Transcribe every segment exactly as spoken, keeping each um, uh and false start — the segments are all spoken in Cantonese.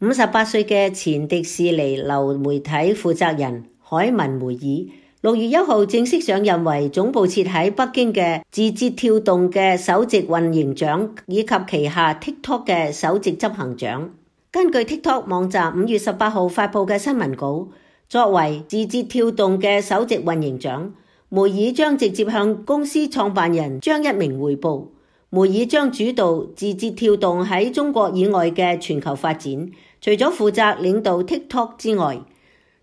五十八歲嘅前迪士尼流媒體負責人海文梅爾，六月一號正式上任為總部設喺北京嘅字節跳動嘅首席運營長，以及旗下 TikTok 嘅首席執行長。根據 TikTok 網站五月十八號發布嘅新聞稿，作為字節跳動嘅首席運營長，梅爾將直接向公司創辦人張一鳴匯報。梅爾將主導字節跳動喺中國以外嘅全球發展，除咗負責領導 TikTok 之外，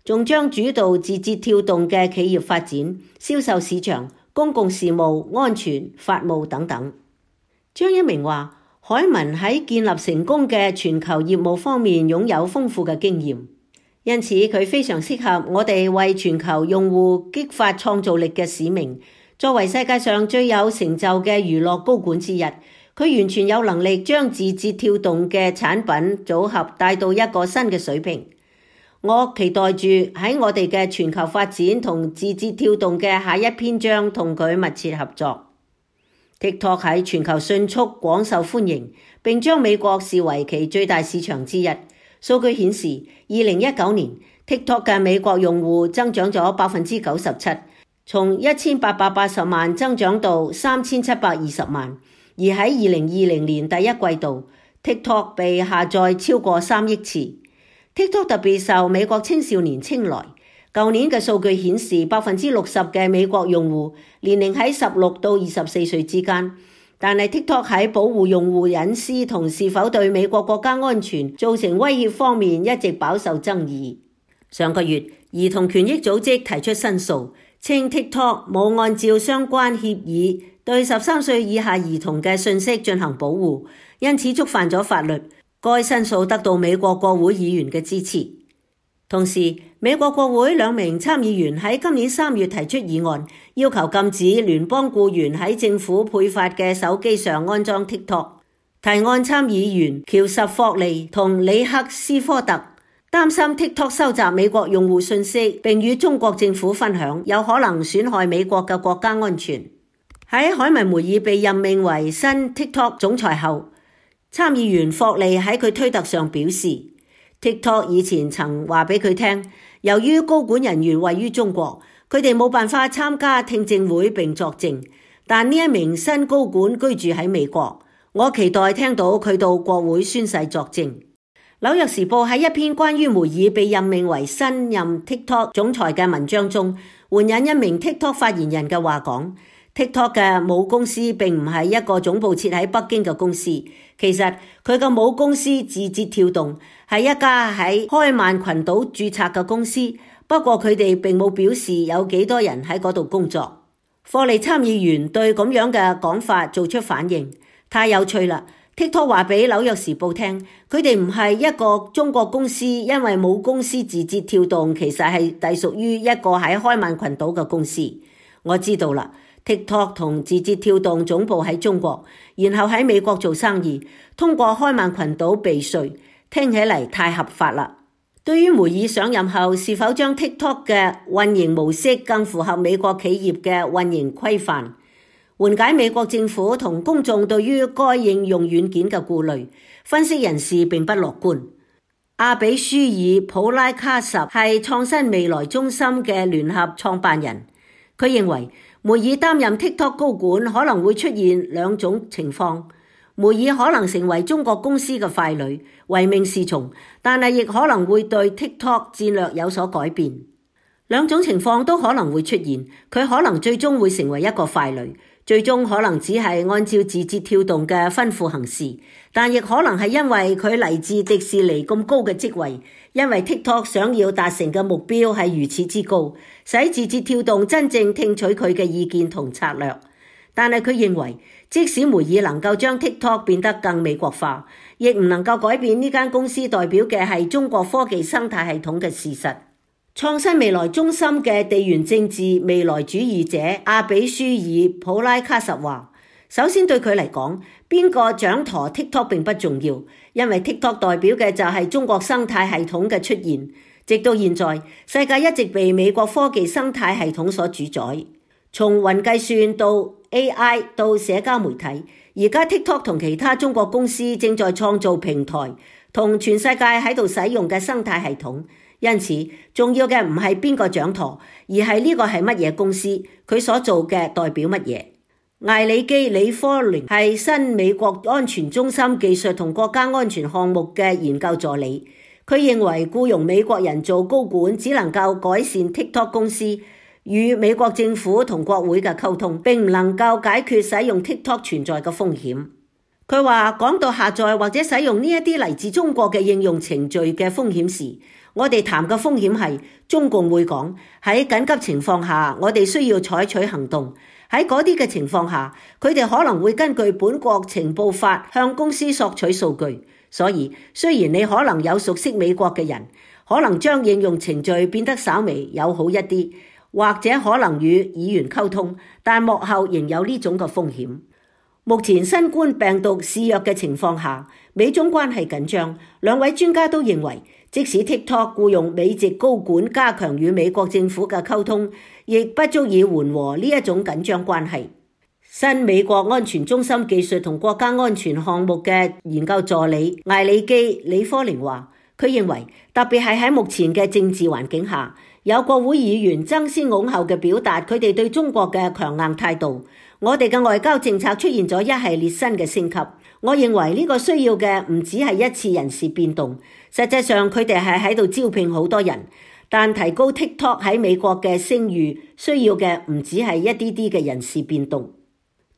仲將主導字節跳動嘅企業發展、銷售市場、公共事務、安全、法務等等。張一鳴話，海文喺建立成功嘅全球業務方面擁有豐富嘅經驗，因此佢非常適合我哋為全球用戶激發創造力嘅使命。作為世界上最有成就嘅娛樂高管之一，佢完全有能力將字節跳動嘅產品組合帶到一個新嘅水平。我期待住喺我哋嘅全球發展同字節跳動嘅下一篇章同佢密切合作。TikTok 喺全球迅速廣受歡迎，並將美國視為其最大市場之一。數據顯示，二零一九年 TikTok 嘅美國用戶增長咗百分之九十七。從一千八百八十萬增長到三千七百二十萬，而喺二零二零年第一季度 ，TikTok 被下載超過三億次。TikTok 特別受美國青少年青睞。舊年嘅數據顯示，百分之六十嘅美國用戶年齡喺十六到二十四歲之間，但係 TikTok 喺保護用戶隱私同是否對美國國家安全造成威脅方面一直飽受爭議。上個月，兒童權益組織提出申訴，稱 TikTok 冇按照相關協議對十三歲以下兒童嘅信息進行保護，因此觸犯咗法律。該申訴得到美國國會議員嘅支持。同時，美國國會兩名參議員喺今年三月提出議案，要求禁止聯邦僱員喺政府配發嘅手機上安裝 TikTok。提案參議員喬什霍利同里克斯科特擔心 TikTok 收集美國用戶信息並與中國政府分享，有可能損害美國嘅國家安全。喺海文梅爾被任命為新 TikTok 總裁後，參議員霍利喺佢推特上表示， TikTok 以前曾話俾佢聽，由於高管人員位於中國，佢哋冇辦法參加聽證會並作證，但呢一名新高管居住喺美國，我期待聽到佢到國會宣誓作證。紐約時報喺一篇關於梅爾被任命為新任 TikTok 總裁嘅文章中，援引一名 TikTok 發言人嘅話講， TikTok 嘅母公司並唔係一個總部設喺北京嘅公司，其實佢嘅母公司字節跳動係一家喺開曼群島註冊嘅公司，不過佢哋並冇表示有幾多人喺嗰度工作。霍利參議員對咁樣嘅講法做出反應，太有趣啦。TikTok 話俾紐約時報聽，佢哋唔係一個中國公司，因為母公司字節跳動其實係隸屬於一個喺開曼群島嘅公司。我知道啦， TikTok 同字節跳動總部喺中國，然後喺美國做生意，通過開曼群島避稅，聽起嚟太合法啦。對於梅爾上任後是否將 TikTok 嘅運營模式更符合美國企業嘅運營規範，緩解美國政府同公眾對於該應用軟件嘅顧慮，分析人士並不樂觀。阿比舒爾普拉卡什係創新未來中心嘅聯合創辦人，佢認為梅爾擔任 TikTok 高管可能會出現兩種情況，梅爾可能成為中國公司嘅傀儡，唯命是從，但係亦可能會對 TikTok 戰略有所改變。兩種情況都可能會出現，佢可能最終會成為一個傀儡，最終可能只係按照字節跳動嘅吩咐行事，但亦可能係因為佢嚟自迪士尼咁高嘅職位，因為 TikTok 想要達成嘅目標係如此之高，使字節跳動真正聽取佢嘅意見同策略。但係佢認為，即使梅爾能夠將 TikTok 變得更美國化，亦唔能夠改變呢間公司代表嘅係中國科技生態系統嘅事實。創新未來中心嘅地緣政治未來主義者阿比舒爾普拉卡什話，首先對佢嚟講，邊個掌舵 TikTok 並不重要，因為 TikTok 代表嘅就係中國生態系統嘅出現。直到現在，世界一直被美國科技生態系統所主宰，從雲計算到 A I 到社交媒體，而家 TikTok 同其他中國公司正在創造平台，同全世界喺度使用嘅生態系統。因此，重要嘅唔係邊個掌舵，而係呢個係乜嘢公司，佢所做嘅代表乜嘢。艾里基·李科寧係新美國安全中心技術同國家安全項目嘅研究助理。佢認為僱傭美國人做高管只能夠改善 TikTok 公司與美國政府同國會嘅溝通，並唔能夠解決使用 TikTok 存在嘅風險。佢話講到下載或者使用呢一啲嚟自中國嘅應用程序嘅風險時，我哋談嘅風險係中共會講喺緊急情況下，我哋需要採取行動。喺嗰啲嘅情況下，佢哋可能會根據本國情報法向公司索取數據。所以，雖然你可能有熟悉美國嘅人，可能將應用程序變得稍微友好一啲，或者可能與議員溝通，但幕後仍有呢種嘅風險。目前新冠病毒肆虐嘅情況下，美中關係緊張。兩位專家都認為，即使 TikTok 僱用美籍高管加強與美國政府嘅溝通，亦不足以緩和呢一種緊張關係。新美國安全中心技術同國家安全項目嘅研究助理艾里基·李科寧話，佢認為特別係喺目前嘅政治環境下，有國會議員爭先恐後嘅表達佢哋對中國嘅強硬態度，我哋嘅外交政策出現咗一系列新嘅升級。我認為呢個需要嘅唔只係一次人事變動，實際上佢哋係喺度招聘好多人，但提高 TikTok 喺美國嘅聲譽需要嘅唔只係一啲啲嘅人事變動。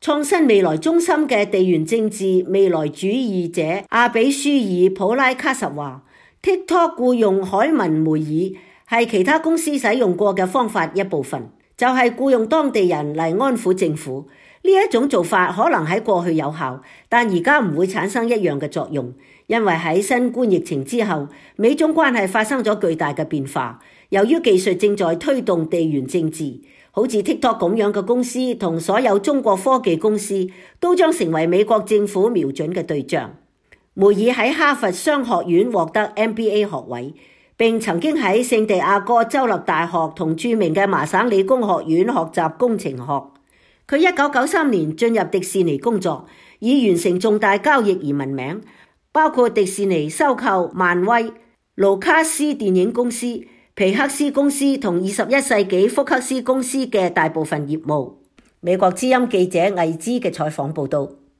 創新未來中心嘅地緣政治未來主義者阿比舒爾普拉卡什話， TikTok 僱用海文梅爾係其他公司使用過嘅方法一部分，就係僱用當地人嚟安撫政府。呢一種做法可能喺過去有效，但而家唔會產生一樣嘅作用，因為喺新冠疫情之後，美中關係發生咗巨大嘅變化。由於技術正在推動地緣政治，好似 TikTok 咁樣嘅公司同所有中國科技公司都將成為美國政府瞄準嘅對象。梅爾喺哈佛商學院獲得 M B A 學位，並曾經喺聖地亞哥州立大學同著名嘅麻省理工學院學習工程學。佢一九九三年進入迪士尼工作，以完成重大交易而聞名，包括迪士尼收購漫威、盧卡斯電影公司、皮克斯公司同二十一世紀福克斯公司嘅大部分業務。美國之音記者魏之嘅採訪報道。